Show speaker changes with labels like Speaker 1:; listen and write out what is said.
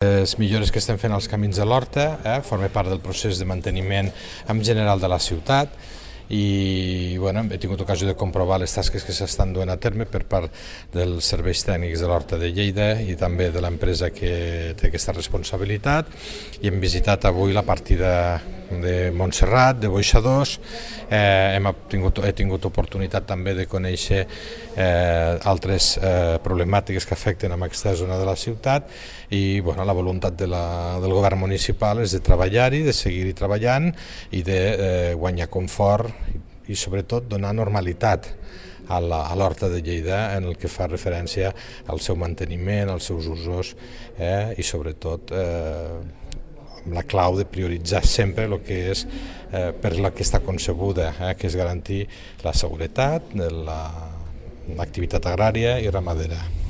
Speaker 1: Les millores que estem fent als camins de l'Horta formen part del procés de manteniment en general de la ciutat i he tingut ocasió de comprovar les tasques que s'estan duent a terme per part dels serveis tècnics de l'Horta de Lleida i també de l'empresa que té aquesta responsabilitat, i hem visitat avui la partida de Montserrat, de Boixadors. He tingut oportunitat també de conèixer altres problemàtiques que afecten en aquesta zona de la ciutat i la voluntat del govern municipal és de treballar-hi, de seguir-hi treballant i de guanyar confort i sobretot donar normalitat a l'Horta de Lleida en el que fa referència al seu manteniment, als seus usos i sobretot amb la clau de prioritzar sempre el que és per la que està concebuda, que és garantir la seguretat, l'activitat agrària i ramadera.